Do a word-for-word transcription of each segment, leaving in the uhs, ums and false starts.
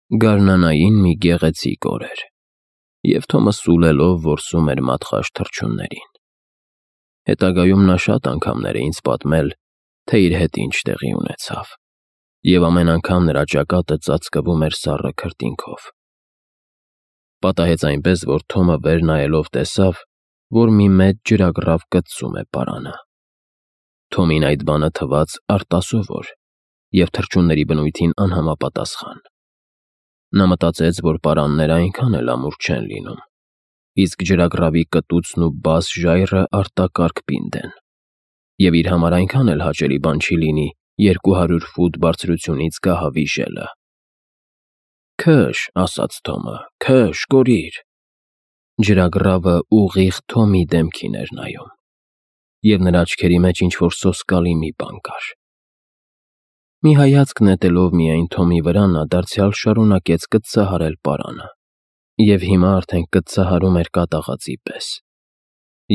Գարնանային մի գեղեցիկ օր էր, և Թոմը սուլելով որսում էր մատխաշ թռչուններին։ Հետագայում նա շատ անգամներ է ինձ պատմել, թե իր հետ ինչ տեղի ունեցավ, և ամեն անգամ նրա ճակատը ծածկվում էր սառը քրտինքով։ Պատահեց այնպես, որ Թոմը վեր նայելով տեսավ, որ մի մեծ ջրագռավ կծում է պարանը։ Թոմին այդ բանը թվաց արտասովոր և թռչունների բնույթին անհամապատասխան։ Նա մտածեց, որ պարանները այնքան էլ ամուր չեն լինում, իսկ ջրագռավի կտուցն ու բաս ժայռը արտակարգ պինդ են, և իր համար այնքան էլ հաճելի բան չի լինի երկու հարյուր ֆուտ բարձրությունից գահավի ժելը։ «Քշ», ասաց Թոմը, «քշ, կորիր»։ Ջրագռավը ուղիղ Թոմի դեմքին էր նայում, և նրա աչքերի մեջ ինչ-որ սոսկալի մի բան կար։ Մի հայացք նետելով միայն Թոմի վրա, նա դարձյալ շարունակեց կծծահարել պարանը, և հիմա արդեն կծծահարում էր կատաղածի պես։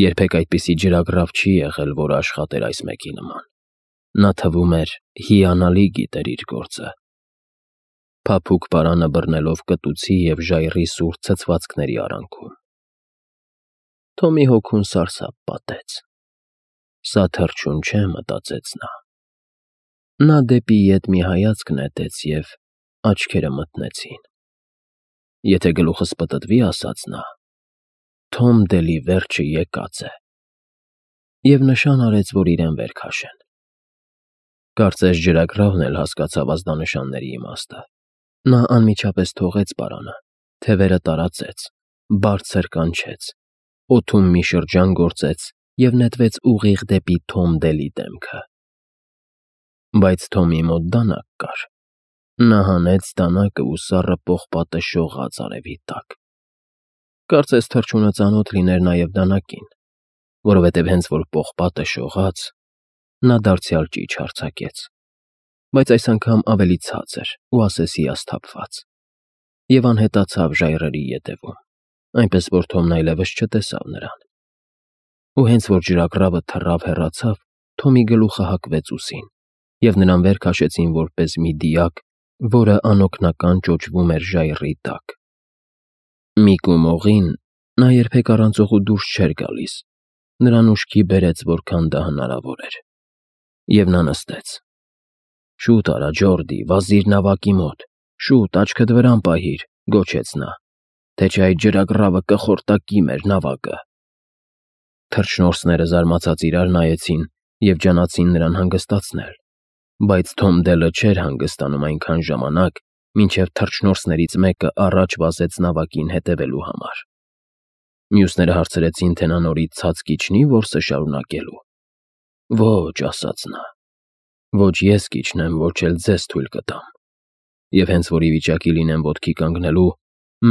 Երբեք այդպիսի ջրագռավ չի եղել, որը աշխատեր այս մեկի նման։ Նա թվում էր հիանալի գիտեր իր գործը։ Փափուկ պարանը բռնելով կտուցի և ժայռի սուր ցցվածքների արանքում։ Թոմի հոգուն սարսափ պատեց։ «Սա թռչուն չէ», մտածեց նա։ Նա դեպի ետ մի հայացք նետեց, և աչքերը մթնեցին։ «Եթե գլուխս պտտվի», ասաց նա, «Թոմ Դելի վերջը եկած է»։ Եվ նշան արեց, որ իրեն վեր քաշեն։ Կարծես ջրագռավն էլ հասկացավ ազդանշանների իմաստը։ Նա անմիջապես թողեց պարանը, թևերը տարածեց, բարձր կանչեց, օդում մի շրջան գործեց և նետվեց ուղիղ դեպի Թոմ Դելի դեմքը։ Բայց Թոմի մոտ դանակ կար։ Նա հանեց դանակը ու սառը պողպատը շողաց արևի տակ։ Կարծես թռչունը ծանոթ լիներ նաև դանակին, որովհետև հենց որ պողպատը շողաց, նա դարձյալ ճիչ արձակեց, բայց այս անգամ ավելի ցածր ու ասեսիասթափված, և անհետացավ ժայռերի ետևում, այնպես որ Թոմն այլևս չտեսավ նրան։ Ու հենց որ ջրագռավը թռավ հեռացավ, Թոմի գլուխը հակվեց ուսին, և նրան վեր քաշեցին որպես մի դիակ, որը անօգնական ճոճվում էր ժայռի տակ։ Միկ ու Մողին նա երբեք առանց օղու դուրս չէր գալիս, նրան ուշքի բերեց, որքան դա հնարավոր էր, և նա նստեց։ «Շուտ արա, Ջորդի, վազիր նավակի մոտ, շուտ, աչքդ վրան պահիր», գոչեց նա, «թե չէ այդ ջրագռավը կխորտակի մեր նավակը»։ Թռչնորսները զարմացած իրար նայեցին և ջանացին նրան հանգստացնել, բայց Թոմ Դելը չէր հանգստանում այնքան ժամանակ, մինչև թռչնորսներից մեկը առաջ վազեց նավակին հետևելու համար։ Մյուսները հարցրեցին, թե նա նորից ցած կիջնի որսը շարունակելու։ «Ոչ», ասաց նա, «ոչ ես կիջնեմ, ոչ էլ ձեզ թույլ կտամ, և հենց որ ի վիճակի լինեմ ոտքի կանգնելու,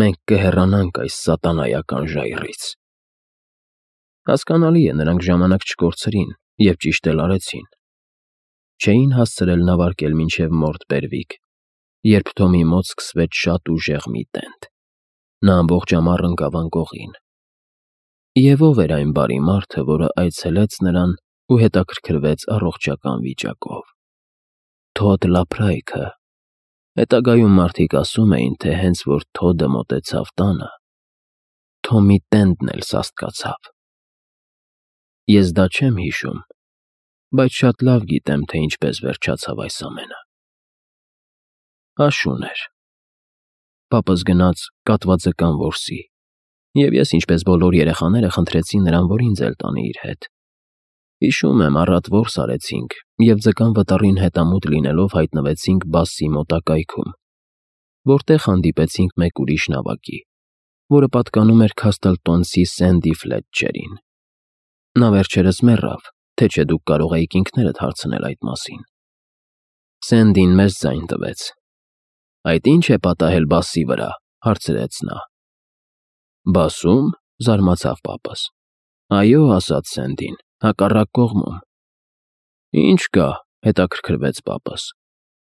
մենք կհեռանանք այս սատանայական ժայռից»։ Հասկանալի է, նրանք ժամանակ չկորցրին և ճիշտ էլ արեցին։ Չէին հասցրել նավարկել մինչև Մորտ Բերվիկ, երբ Թոմի մոտ սկսվեց շատ ուժեղ մի տենդ։ Նա ամբողջ ամառ ընկավ անկողին։ Եվ ո՞վ էր այն բարի մարդը, որը այցելեց նրան ու հետաքրքրվեց առողջական վիճակով։ Թոդ Լափրայքը։ Հետագայում մարդիկ ասում էին, թե հենց որ Թոդը մոտեցավ տանը, Թոմի տենդն էլ սաստկացավ։ Ես դա չեմ հիշում, բայց շատ լավ գիտեմ, թե ինչպես վերջացավ այս ամենը։ Աշուն էր։ Պապս գնաց կատվաձկան որսի, և ես, ինչպես բոլոր երեխաները, խնդրեցի նրան, որ ինձ էլ տանի իր հետ։ Հիշում եմ, առատ որս արեցինք և ձկան վտառին հետամուտ լինելով հայտնվեցինք Բասսի մոտակայքում, որտեղ հանդիպեցինք մեկ ուրիշ նավակի, որը պատկանում էր Քասթլտոնցի Սենդի Ֆլետչերին։ Նա վերջերս մեռավ, թե չէ դուք կարող էիք ինքներդ հարցնել այդ մասին։ Սենդին մեծ ձայն տվեց։ «Այդ ի՞նչ է պատահել Բասսի վրա», հարցրեց նա։ «Բասσում», զարմացավ պապս։ «Այո», ասաց Սենդին, «հակառակ կողմում»։ «Ինչ կա», հետաքրքրվեց պապս։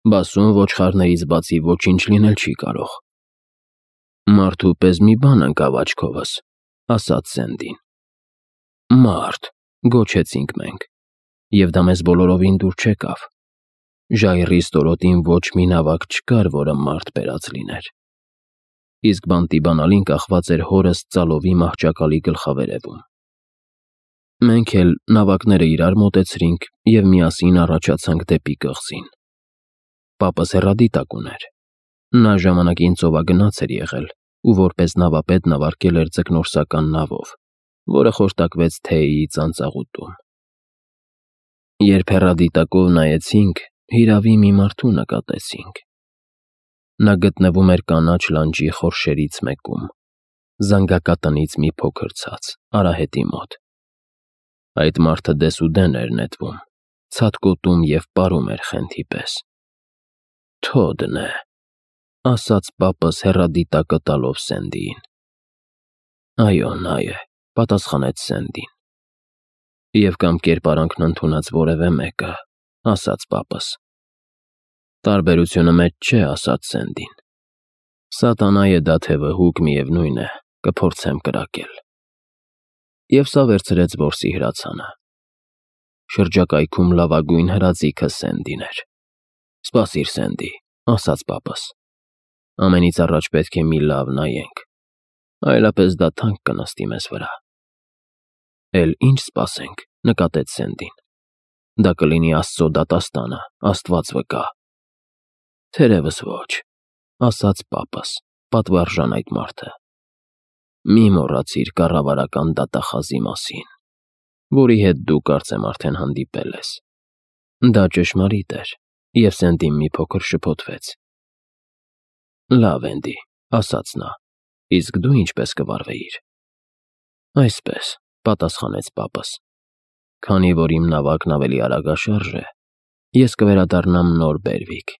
«Բասսում ոչխարներից բացի ոչինչ լինել չի կարող»։ «Մարդու պես մի բան ընկավ աչքովս», ասաց Սենդին։ «Մարդ», գոչեցինք մենք, և դա մեզ բոլորովին դուր չեկավ։ Ժայռի ստորոտին ոչ մի նավակ չկար, որը մարդ բերած լիներ։ իսկ բանտի բանալին կախված էր հորս ծալովի մահճակալի գլխավերևում։ Մենք էլ նավակները իրար մոտեցրինք և միասին առաջացանք դեպի կղզին։ Պապս հեռադիտակ ուներ։ Նա ժամանակին ծովագնաց էր եղել ու որպես նավապետ նավարկել էր ձկնորսական նավով, որը խորտակվեց Թեյի ծանծաղուտում։ Երբ հեռադիտակով նայեցինք, հիրավի մի մարդու նկատեցինք։ Նա գտնվում էր կանաչ լանջի խորշերից մեկում, զանգակատնից մի փոքր ցած, արահետի մոտ։ Այդ մարդը դեսուդեն էր նետվում, ցատկոտում և պարում էր խենթի պես։ «Թոդն է», ասաց պապս հեռադիտակը տալով Սենդիին։ «Այո, նա է», պատասխանեց Սենդին։ «Եվ կամ կերպարանքն ընդունած որևէ մեկը», ասաց պապս։ «Տարբերությունը մեծ չէ», ասաց Սենդին։ «Սատանայի դա թե վհուկ միևնույն է, կփորձեմ կրակել»։ Եվ սա վերցրեց որսի հրացանը։ Շրջակայքում լավագույն հրաձիգը Սենդին էր։ «Սպասիր, Սենդի», ասաց պապս։ «Ամենից առաջ պետք է մի լավ նայենք, այլապես դա թանկ կնստի մեզ վրա»։ «Էլ ինչ սպասենք», նկատեց Սենդին։ «Դա կլինի Աստծո դատաստանը, Աստված վկա»։ «Թերևս ոչ», ասաց պապս, պատվարժան այդ մարդը։ «Մի մոռացիր կառավարական դատախազի մասին, որի հետ դու կարծեմ արդեն հանդիպել ես»։ Դա ճշմարիտ էր, և Սենդին մի փոքր շփոթվեց։ «Լավ, Էնդի», ասաց նա, «իսկ դու ինչպես կվարվեիր»։ «Այսպես», պատասխանեց պապս։ «Քանի որ իմ նավակն ավելի արագաշարժ է, ես կվերադառնամ նոր Բերվիկ,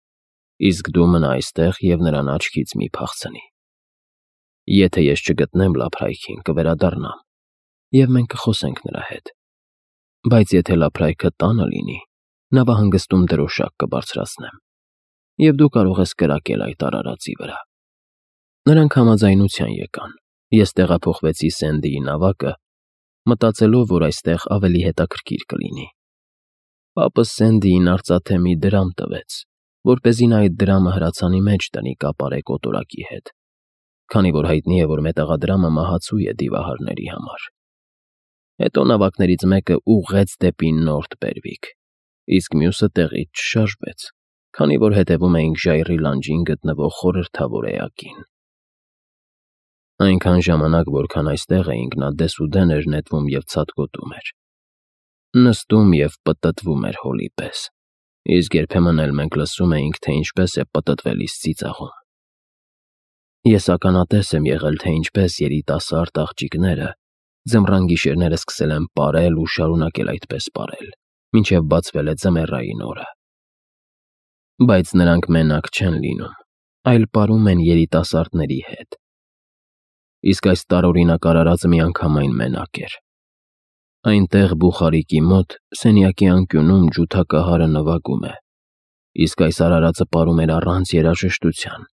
իսկ դու մնա այստեղ և նրան աչքից մի փախցնի։ Եթե ես չգտնեմ Լափրայքին, կվերադառնամ, և մենք կխոսենք նրա հետ։ Բայց եթե Լափրայքը տանը լինի, նավահանգստում դրոշակ կբարձրացնեմ, և դու կարող ես կրակել այդ արարածի վրա»։ Նրանք համաձայնության եկան։ Ես տեղափոխվեցի Սենդիի նավակը, մտածելով, որ այստեղ ավելի հետաքրքիր կլինի։ Պապս Սենդիին արծաթե մի դրամ տվեց, որպեսզի նա այդ դրամը հրացանի մեջ դնի կապարե կոտորակի հետ, քանի որ հայտնի է, որ մետաղադրամը մահացու է դիվահարների համար։ Հետո նավակներից մեկը ուղղեց դեպի Նորթ Բերվիկ, իսկ մյուսը տեղից չշարժվեց, քանի որ հետևում էինք ժայռի լանջին գտնվող խորհրդավոր էակին։ Այնքան ժամանակ, որքան այստեղ էինք, նա դեսուդեն էր նետվում և ցատկոտում էր։ Նստում և պտտվում էր հոլի պես, իսկ երբեմն էլ մենք լսում էինք, թե ինչպես է պտտվելիս ծիծաղում։ Ես ականատես եմ եղել, թե ինչպես երիտասարդ աղջիկները ձմռան գիշերները սկսել են պարել ու շարունակել այդպես պարել, մինչև բացվել է ձմեռային օրը։ Բայց նրանք մենակ չեն լինում, այլ պարում են երիտասարդների հետ։ Իսկ այս տարօրինակ արարածը միանգամայն մենակ էր։ Այնտեղ Բուխարիկի մոտ սենյակի անկյունում ջութակահարը նվագում է, իսկ այս արարածը պարում էր առանց երաժշտության,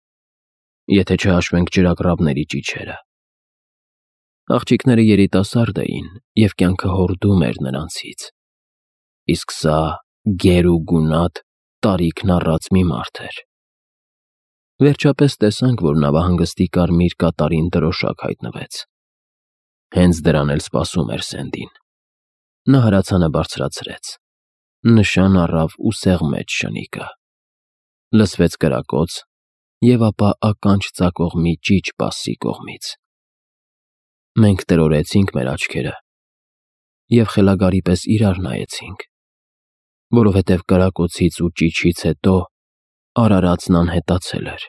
եթե չհաշվենք ճրագռավների ճիչերը։ Աղջիկները երիտասարդ էին, և կյանքը հորդում էր նրանցից, իսկ սա գեր ու գունատ, տարիքն առած մի մարդ էր։ Վերջապես տեսանք, որ նավահանգստի կարմիր կատարին դրոշակ հայտնվեց։ Հենց դրան էլ սպասում էր Սենդին։ Նա հրացանը բարձրացրեց, նշան առավ ու սեղմեց շնիկը։ Լսվեց կրակոց, և ապա ականջ ծակող մի ճիչ բասի կողմից։ Մենք տրորեցինք մեր աչքերը և խելագարի պես իրար նայեցինք, որովհետև կրակոցից ու ճիչից հետո արարածն անհետացել էր։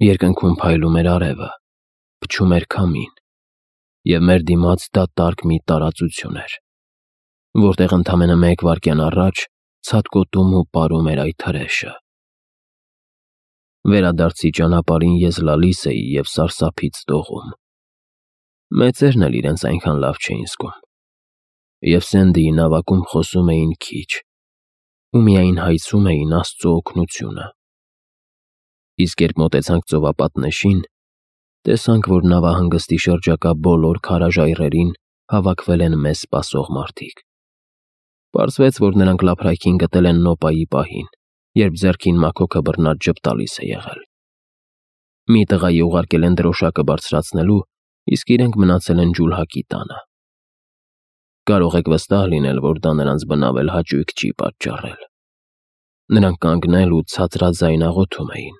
Երկնքում փայլում էր արևը, փչում էր քամին, և մեր դիմաց դատարկ մի տարածություն էր, որտեղ ընդամենը մեկ վայրկյան առաջ ցատկոտում ու պարում էր այդ հրեշը։ Վերադարձի ճանապարհին ես լալիս էի և սարսափից դողում։ Մեծերն էլ իրենց այնքան լավ չէին զգում, և Սենդիի նավակում խոսում էին քիչ ու միայն հայցում էին Աստծո օգնությունը։ Իսկ երբ մոտեցանք ծովապատնեշին, տեսանք, որ նավահանգստի շրջակա բոլոր քարաժայռերին հավաքվել են մեզ սպասող մարդիկ։ Պարզվեց, որ նրանք Լափրայքին գտել են Նոպայի պահին, երբ ձեռքին մաքոքը բռնած ժպտալիս է եղել։ Մի տղայի ուղարկել են դրոշակը բարձրացնելու, իսկ իրենք մնացել են ջուլհակի տանը։ Կարող եք վստահ լինել, որ դա նրանց բնավել հաճույք չի պատճառել։ Նրանք կանգնել ու ցածրաձայն աղոթում էին։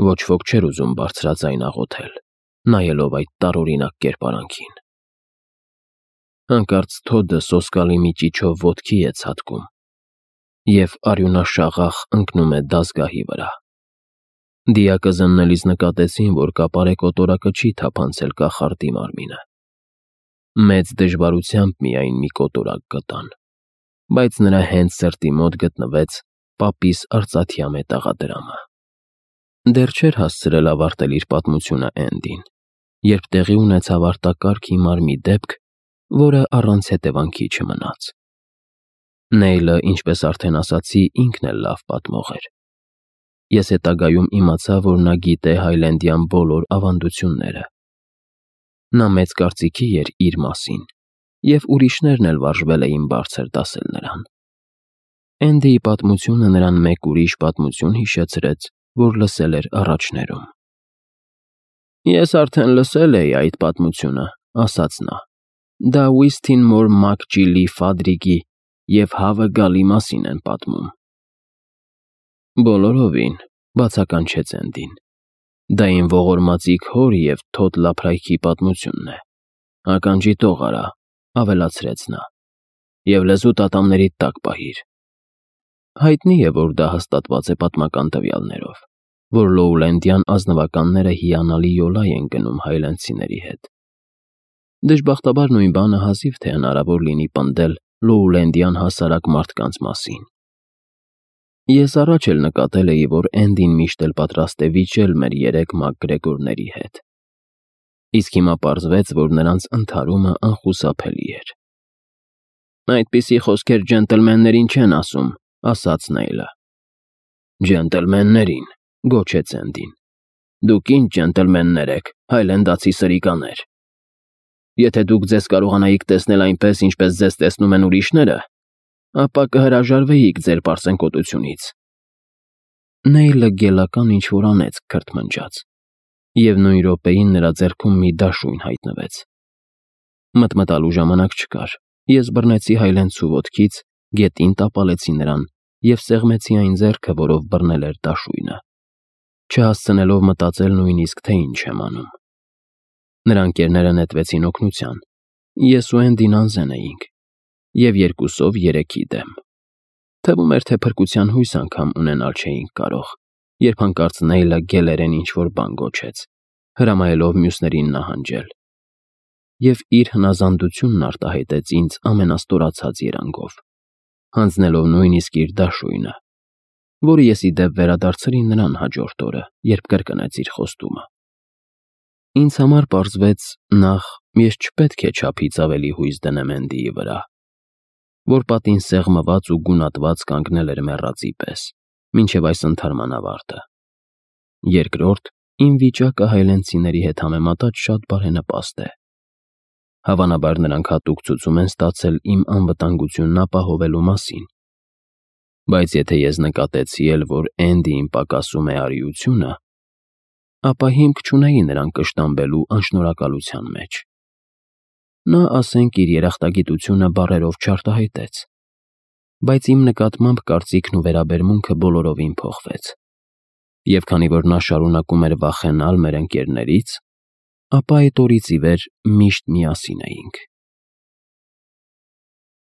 Ոչ ոք չէր ուզում բարձրաձայն աղոթել, նայելով այդ տարօրինակ կերպարանքին։ Հանկարծ Թոդը սոսկալի մի ճիչով ոտքի է ցատկում, և արյունաշաղախ ընկնում է դասգահի վրա։ Դիակը զննելիս նկատեցին, որ կապարե կոտորակը չի թափանցել կախարդի մարմինը։ Մեծ դժվարությամբ միայն մի կոտորակ գտան, բայց նրա հենց սրտի մոտ գտնվեց պապիս արծաթյա մետաղադրամը։ Դեռ չէր հասցրել ավարտել իր պատմությունը Էնդին, երբ տեղի ունեցավ արտակարգ հիմար մի դեպք, որը առանց հետևանքի չմնաց։ Նեյլը, ինչպես արդեն ասացի, ինքն էլ լավ պատմող էր։ Ես հետագայում իմացա, որ նա գիտե հայլենդյան բոլոր ավանդությունները։ Նա մեծ կարծիքի էր իր մասին, և ուրիշներն էլ վարժվել էին բարձր դասել նրան։ Էնդիի պատմությունը նրան մեկ ուրիշ պատմություն հիշեցրեց, որ լսել էր առաջներում։ «Ես արդեն լսել էի այդ պատմությունը», ասաց նա։ «Դա Ուիսթինմոր Մակջիլի Ֆադրիգի և հավը գալի մասին են պատմում»։ «Բոլորովին», բացականչեց Էնդին։ «Դա իմ ողորմածիկ հոր և Թոդ Լափրայքի պատմությունն է։ Ականջի տող արա», ավելացրեց նա, «և լեզուդ ատամներիդ տակ պահիր»։ Հայտնի է, որ դա հաստատված է պատմական տվյալներով, որ լոուլենդյան ազնվականները հիանալի յոլա են գնում հայլենդցիների հետ։ Դժբախտաբար նույն բանը հազիվ թե հնարավոր լինի պնդել լոուլենդյան հասարակ մարդկանց մասին։ Ես առաջ էլ նկատել էի, որ Էնդին միշտ էլ պատրաստ է վիճել մեր երեք մակգրեգորների հետ։ Իսկ հիմա պարզվեց, որ նրանց ընդհարումը անխուսափելի էր։ «Այդպիսի խոսքեր ջենտլմեններին չեն ասում», ասաց Նեյլը։ «Ջենտլմեններին», գոչեց Էնդին։ «Դուք ինչ ջենտլմեններ եք, հայլենդացի սրիկաներ։ Եթե դուք ձեզ կարողանայիք տեսնել այնպես, ինչպես ձեզ տեսնում են ուրիշները, ապա կհրաժարվեիք ձեր պարծենկոտությունից»։ Նեյլը գելական ինչ-որ անեծք քրթմնջաց, և նույն րոպեին նրա ձեռքում մի դաշույն հայտնվեց։ Մտմտալու ժամանակ չկար, ես բռնեցի հայլենցու ոտքից, գետին տապալեցի նրան և սեղմեցի այն ձեռքը, որով բռնել էր դաշույնը, չհասցնելով մտածել նույնիսկ, թե ինչ եմ անում։ Նրա ընկերները նետվեցին օգնության, ես ու Էնդին անզեն էինք, և երկուսով երեքի դեմ։ Թվում էր, թե փրկության հույս անգամ ունենալ չէինք կարող, երբ հանկարծ Նեյլը գելերեն ինչ-որ բան գոչեց, հրամայելով մյուսներին նահանջել, և իր հնազանդությունն արտահայտեց ինձ ամենաստորացած երանգով, հանձնելով նույնիսկ իր դաշույնը, որը ես ի դեպ վերադարձրի նրան հաջորդ օրը, երբ կրկնեց իր խոստումը։ Ինձ համար պարզվեց, նախ, ես չպետք է չափից ավելի հույս դնեմ Էնդիի վրա, որ պատին սեղմված ու գունատված կանգնել էր մեռածի պես, մինչև այս ընդհարման ավարտը։ Երկրորդ, իմ վիճակը հայլենդցիների հետ համեմատած շատ բարենպաստ է։ Հավանաբար նրանք հատուկ ցուցում են ստացել իմ անվտանգությունն ապահովելու մասին։ Բայց եթե ես նկատեցի էլ, որ Էնդիին պակասում է արիությունը, ապա հիմք չունեի նրան կշտամբելու անշնորհակալության մեջ։ Նա, ասենք, իր երախտագիտությունը բառերով չարտահայտեց, բայց իմ նկատմամբ կարծիքն ու վերաբերմունքը բոլորովին փոխվեց։ Եվ քանի որ նա շարունակում էր վախենալ մեր ընկերներից, ապա այդ օրից ի վեր միշտ միասին էինք։